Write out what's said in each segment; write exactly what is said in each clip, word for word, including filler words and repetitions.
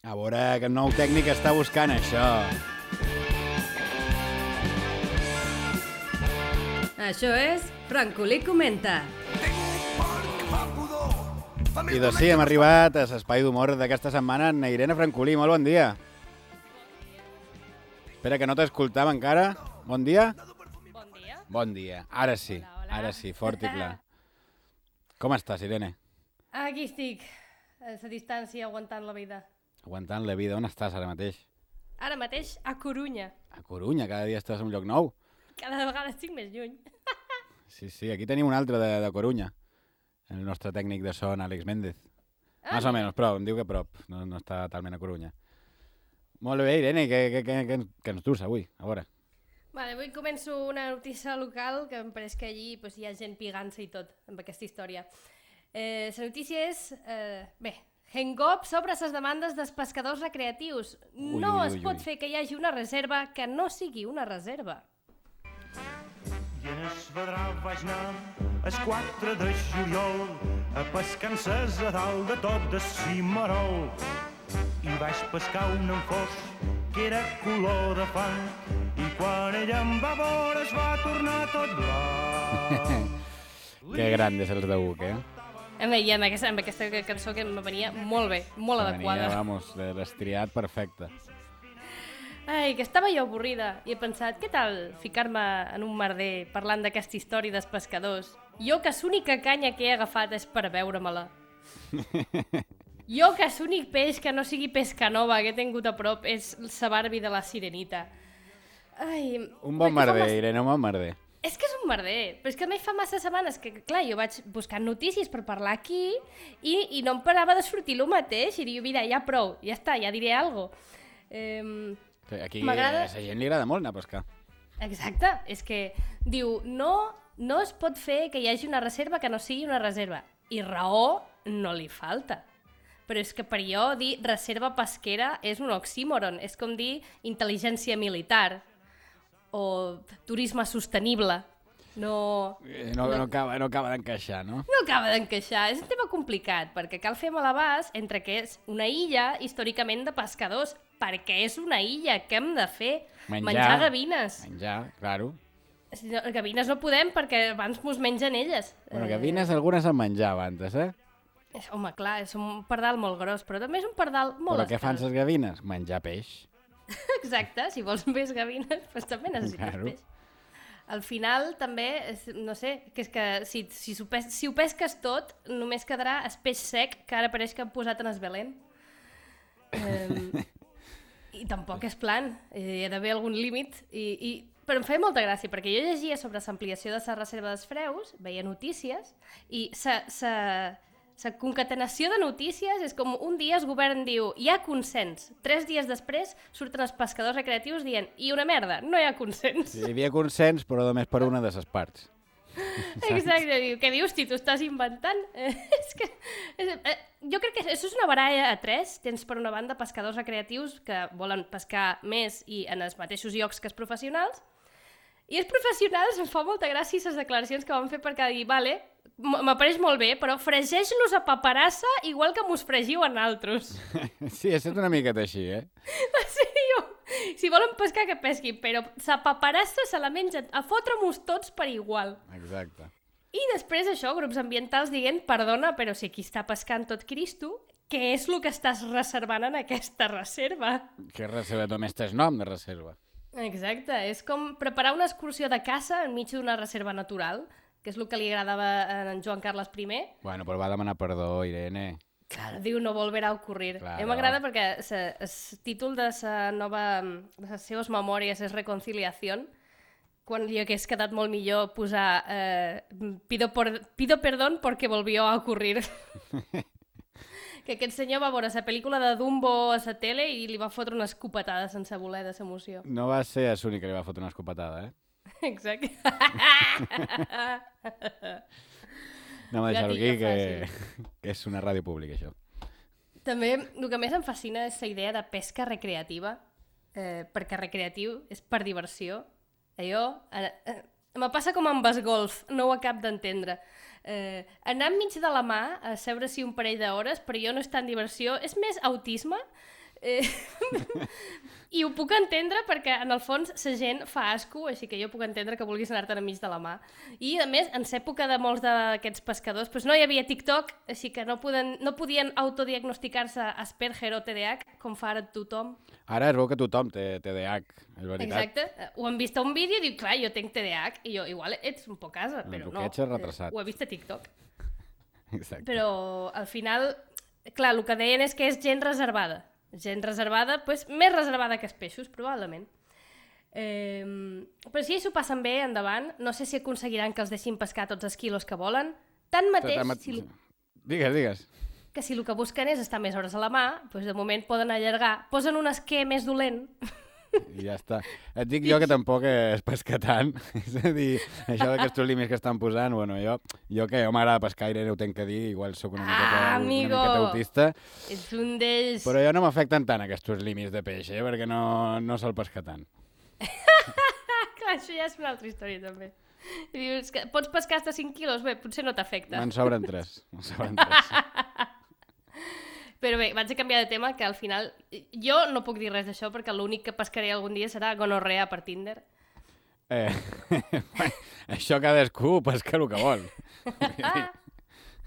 A veure, que el nou tècnic està buscant això. Això és Francolí Comenta. I doncs sí, hem arribat a l'espai d'humor d'aquesta setmana amb Irene Francolí. Molt bon dia. Espera, que no t'escoltava encara. Bon dia? Bon dia. Bon dia. Ara sí, Hola, hola. ara sí, fort i clar. Com estàs, Irene? Aquí estic, a la distància, aguantant la vida. Aguantant la vida. On estàs ara mateix? Ara mateix a Corunya. A Corunya, cada dia estàs en un lloc nou. Cada vegada estic més lluny. Sí, sí, aquí tenim un altre de, de Corunya. El nostre tècnic de son, Àlex Méndez. Ah, Más o menos, però em diu que a prop. No, no està talment a Corunya. Molt bé, Irene, què, què, què, què, què ens dus avui? A veure. Vale, avui començo una notícia local que em pareix que allí pues, hi ha gent pigant-se i tot amb aquesta història. Eh, la notícia és... Eh, bé, Hengop sobre les demandes dels pescadors recreatius. Ui, No ui, es ui, pot ui. fer que hi hagi una reserva que no sigui una reserva. I en es vedrà vaig anar el quatre de juliol a pescar en ses a dalt de tot de cimarol. I vaig pescar un enfós que era color de fang i quan ella em va veure es va tornar tot blanc. Que grandes els de Buc, eh? A mi, i amb aquesta, amb aquesta cançó que em venia molt bé, molt adequada. Venia, vamos, de l'estriat perfecte. Ai, que estava jo avorrida i he pensat, què tal ficar-me en un merder parlant d'aquesta història dels pescadors? Jo que l'única canya que he agafat és per veure-me-la. Jo que l'únic peix que no sigui pesca nova que he tingut a prop és la Barbie de la Sirenita. Ai, Un bon perquè fa merder, mas- Irene, un bon merder. És que és un merder, però és que a mi fa massa setmanes que, clar, jo vaig buscant notícies per parlar aquí i, i no em parava de sortir el mateix i dic, mira, ja prou, ja està, ja diré alguna cosa. Eh, Aquí M'agrada- a la gent li agrada molt anar a pescar. Exacte, és que diu, no, no es pot fer que hi hagi una reserva que no sigui una reserva. I raó no li falta. Però és que per jo dir reserva pesquera és un oxímoron, és com dir intel·ligència militar o turisme sostenible. No, Eh, No, no acaba, no acaba d'encaixar, no? no acaba d'encaixar, és un tema complicat, perquè cal fer malabars entre que és una illa històricament de pescadors, perquè és una illa, què hem de fer? Menjar. Menjar gavines. Menjar, claro. Si no, gavines no podem perquè abans mos mengen elles. Bueno, gavines algunes en menjava antes, eh? Eh, home, clar, és un pardal molt gros, però també és un pardal molt Però què fan les gavines? Menjar peix. Exacte, si vols més gavines, doncs també necessites Claro. peix. Al final, també, és, no sé, que és que si, si, ho pes, si ho pesques tot, només quedarà el peix sec que ara pareix que han posat en el Belén. Eh, I tampoc és plan, hi ha d'haver algun límit. I, i, però em feia molta gràcia, perquè jo llegia sobre l'ampliació de la reserva dels freus, veia notícies, i sa, sa, la concatenació de notícies és com un dia el govern diu hi ha consens, tres dies després surten els pescadors recreatius dient i una merda, no hi ha consens. Sí, hi havia consens, però només per una de les parts. Exacte, diu, què dius, Tito, estàs inventant? Eh, és que, és, eh, jo crec que això és una baralla a tres. Tens per una banda pescadors recreatius que volen pescar més i en els mateixos llocs que els professionals, i els professionals em fa molta gràcia les declaracions que van fer perquè dir, vale, m- m'apareix molt bé, però fregeix-los a paperassa igual que mos fregiu a naltros. Sí, és una miqueta així, eh? Sí, jo, si volen pescar, que pesquin, però la paperassa se la mengen a fotre-mos tots per igual. Exacte. I després això, grups ambientals dient, perdona, però si aquí està pescant tot Cristo, què és el que estàs reservant en aquesta reserva? Que reserva només tens nom de reserva. Exacte, és com preparar una excursió de caça enmig d'una reserva natural, que és el que li agradava a en Joan Carles I. Bueno, però va demanar perdó, Irene. Claro, diu, no volverà a ocurrir. Claro. A mi m'agrada perquè el títol de la nova, de les seves memòries és Reconciliació, quan li hagués quedat molt millor posar eh, pido, por, pido perdón porque volvió a ocurrir. Que aquest senyor va veure la pel·lícula de Dumbo a la tele i li va fotre una escopetada sense voler de l'emoció. No va ser l'únic que li va fotre una escopetada, eh? Exacte. No m'ha deixat aquí, Gatillo que, que és una ràdio pública, això. També el que més em fascina és la idea de pesca recreativa, eh, perquè recreatiu és per diversió. Allò, eh, eh, me passa com amb el golf, no ho acab d'entendre. Eh, anar enmig de la mà a seure-s'hi un parell d'hores, per jo no és tant diversió, és més autisme. Eh, I ho puc entendre perquè, en el fons, la gent fa asco, així que jo puc entendre que vulguis anar-te'n enmig de la mà. I, a més, en l'època de molts d'aquests pescadors, doncs no hi havia TikTok, així que no, poden, no podien autodiagnosticar-se Asperger o T D A H, com fa ara tothom. Ara es veu que tothom té T D A H, és veritat. Exacte. Ho han vist a un vídeo i diu, clar, jo tinc T D A H, i jo, igual ets un poc asa, però no. Ets retrasat. Ho he vist a TikTok. Exacte. Però, al final, clar, el que deien és que és gent reservada. Gent reservada, doncs, més reservada que els peixos, probablement. Eh, però si ells s'ho passen bé, endavant, no sé si aconseguiran que els deixin pescar tots els quilos que volen. Tanmateix, Tanmat... si... Digues, digues. que si el que busquen és estar més hores a la mà, doncs de moment poden allargar, posen un esquer més dolent. I ja està. Et dic jo que tampoc es pesca tant. És a dir, això d'aquests límits que estan posant, bueno, jo, jo que jo m'agrada pescar i ho tenc que dir, igual sóc una miqueta, Ah, una amigo! miqueta autista, Ets un d'ells. però jo no m'afecten tant aquests límits de peix, eh, perquè no, no se'l pesca tant. Clar, això ja és una altra història, també. I dius que pots pescar hasta cinc quilos? Bé, potser no t'afecta. Me'n sobren tres. Me'n sobren tres. Però bé, vaig a canviar de tema, que al final... Jo no puc dir res d'això, perquè l'únic que pescaré algun dia serà gonorrea per Tinder. Eh, això cadascú pesca el que vol.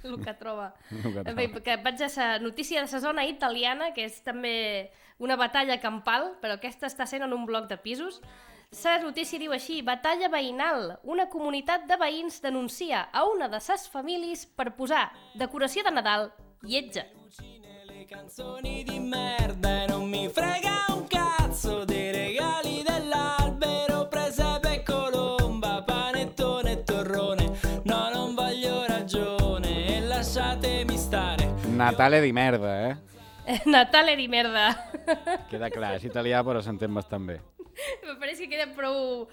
El que troba. El que troba. Bé, que vaig a la notícia de la zona italiana, que és també una batalla campal, però aquesta està sent en un bloc de pisos. La notícia diu així: batalla veïnal. Una comunitat de veïns denuncia a una de ses famílies per posar decoració de Nadal lletja. Canzoni di merda e non mi frega un cazzo dei regali dell'albero, presepe e colomba, panettone e torrone, no non voglio ragione e lasciatemi stare. Natale di merda, eh? Natale di merda. Queda clar, és italià però s'entén bastant bé. Me pareix que queda prou,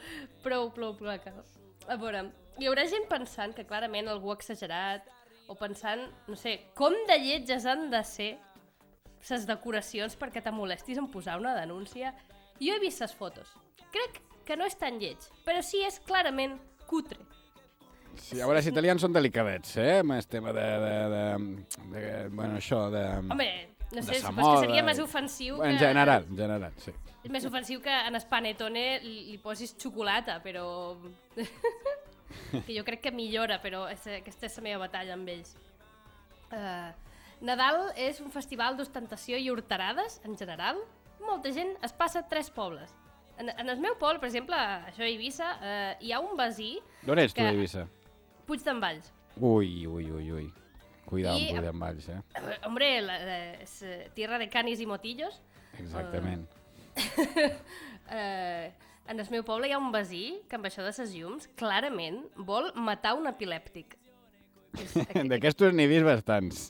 prou, prou, prou clar. A veure, hi haurà gent pensant que clarament algú ha exagerat, o pensant, no sé, com de lletges han de ser les decoracions perquè te molestis en posar una denúncia. Jo he vist les fotos. Crec que no és tan lleig, però sí és clarament cutre. Sí, a veure, els italians són delicadets, eh? Amb el tema de, de, de, de, de bueno, això, de... Home, no sé, sa però és que seria moda. més ofensiu En que... general, en general, sí. És més ofensiu que en el panettone li, li posis xocolata, però... que jo crec que millora, però és, aquesta és la meva batalla amb ells. Uh, Nadal és un festival d'ostentació i horterades, en general. Molta gent es passa tres pobles. En, en el meu poble, per exemple, això a Eivissa, uh, hi ha un veí... D'on ets tu, que- Eivissa? Puig d'en Valls. Ui, ui, ui, ui. Cuidado I- amb Puig d'en Valls, eh? Uh, hombre, la, la, és eh, tierra de canis i motillos. Exactament. Uh, en el meu poble hi ha un veí que amb això de ses llums clarament vol matar un epilèptic. És, aquest, D'aquestos n'he vist bastants.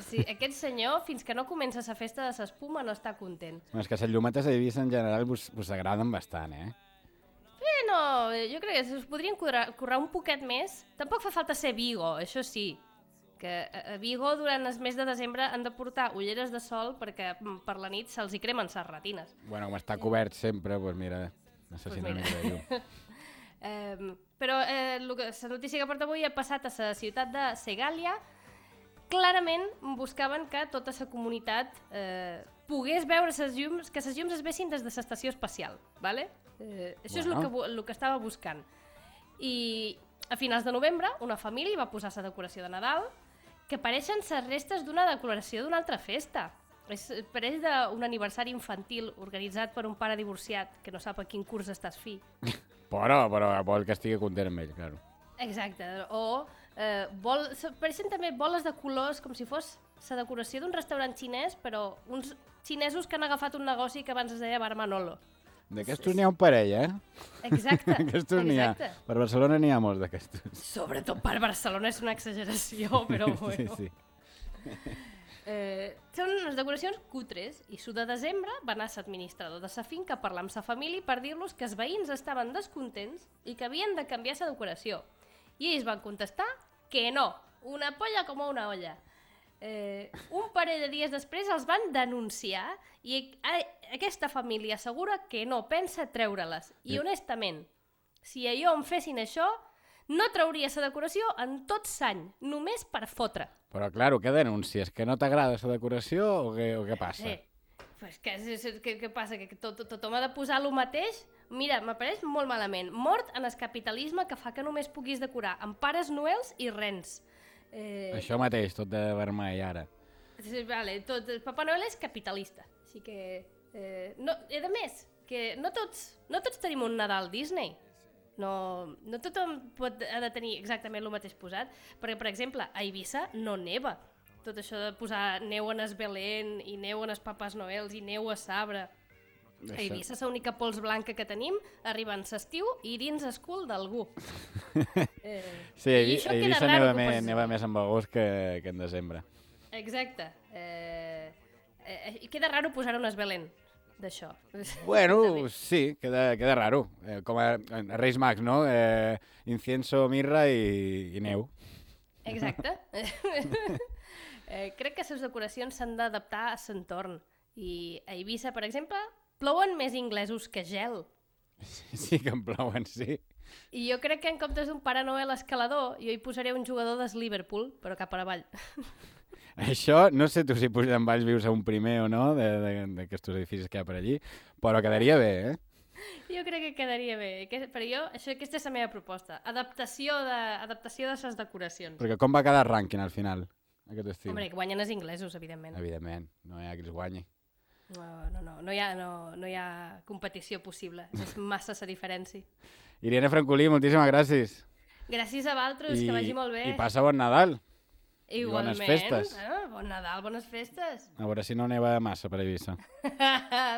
sí, aquest senyor, fins que no comença la festa de l'espuma, no està content. Bueno, és que les llumetes a Eivissa en general vos, vos agraden bastant, eh? Eh, no, jo crec que us podrien currar, currar un poquet més. Tampoc fa falta ser Vigo, això sí. Que a a Vigo durant el mes de desembre han de portar ulleres de sol perquè mm, per la nit se'ls hi cremen les retines. Bueno, com està cobert sempre, doncs mira, necessita Pues una mira. mica de llum. Eh, però eh, lo que, la notícia que porta avui ha passat a la ciutat de Segàlia. Clarament buscaven que tota la comunitat eh, pogués veure ses llums, que les llums es vessin des de l'estació espacial. ¿Vale? Eh, això Bueno. és el que, bu- el que estava buscant. I a finals de novembre una família va posar la decoració de Nadal que pareixen les restes d'una decoració d'una altra festa. És, pareix d'un aniversari infantil organitzat per un pare divorciat que no sap a quin curs estàs fi. Però, però vol que estigui content amb ell, claro. Exacte, o eh, vol, pareixen també boles de colors com si fos la decoració d'un restaurant xinès, però uns xinesos que han agafat un negoci que abans es deia Bar Manolo. D'aquestos n'hi ha un parell, eh? Exacte, D'aquestos n'hi ha. exacte. Per Barcelona n'hi ha molts d'aquestos. Sobretot per Barcelona és una exageració, però bueno. Sí, sí. Eh, són unes decoracions cutres i su de desembre va anar l'administrador de la finca a parlar amb sa família per dir-los que els veïns estaven descontents i que havien de canviar la decoració. I ells van contestar que no, una polla com una olla. Eh, un parell de dies després els van denunciar i a, aquesta família assegura que no pensa treure-les. I honestament, si a jo em fessin això, no trauria la decoració en tot l'any, només per fotre. Però, claro, què denuncies? Que no t'agrada la decoració o què, o què passa? Sí. pues què, què, què passa? Que tot, tot, tothom ha de posar el mateix? Mira, m'apareix molt malament. Mort en el capitalisme que fa que només puguis decorar amb pares noels i rens. Eh... Això mateix, tot de vermell ara. Vale, tot, Papa Noel és capitalista, així que... Eh, no, i a més, que no tots, no tots tenim un Nadal Disney. No, no tothom pot, ha de tenir exactament el mateix posat, perquè, per exemple, a Eivissa no neva. Tot això de posar neu en es Belén i neu en es Papes Noels i neu a Sabre. Això. A Eivissa és l'única pols blanca que tenim, arriba en l'estiu i dins el cul d'algú. Eh, Sí, a Eivissa raro neva, que més, posis- neva més en agost que, que en desembre. Exacte. Eh, eh, queda raro posar un esbelén d'això. Bueno, sí, queda, queda raro. Eh, com a, a Reis Mags, no? Eh, incienso, mirra i, i neu. Exacte. eh, crec que les decoracions s'han d'adaptar a l'entorn. I a Eivissa, per exemple, plouen més inglesos que gel. Sí que en plouen, sí. I jo crec que en comptes d'un Pare Noel escalador, jo hi posaré un jugador del Liverpool, però cap a avall. Això, no sé tu si Puigdemont Valls vius a un primer o no, d'aquests edificis que hi ha per allí, però quedaria bé, eh? Jo crec que quedaria bé. Que, però jo, això, aquesta és la meva proposta. Adaptació de, adaptació de les decoracions. Perquè com va quedar el rànquing al final, aquest estiu? Hombre, que guanyen els inglesos, evidentment. Evidentment, no hi ha qui els guanyi. No, no, no, no hi ha, no, no hi ha competició possible. És massa la diferència. Irene Francolí, moltíssimes gràcies. Gràcies a vosaltres, que vagi molt bé. I passa bon Nadal. Igualment. bones festes. Ah, bon Nadal, bones festes. A veure si no neva massa per Eivissa.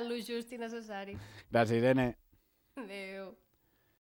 Lo just i necessari. Gràcies, Irene. Adéu.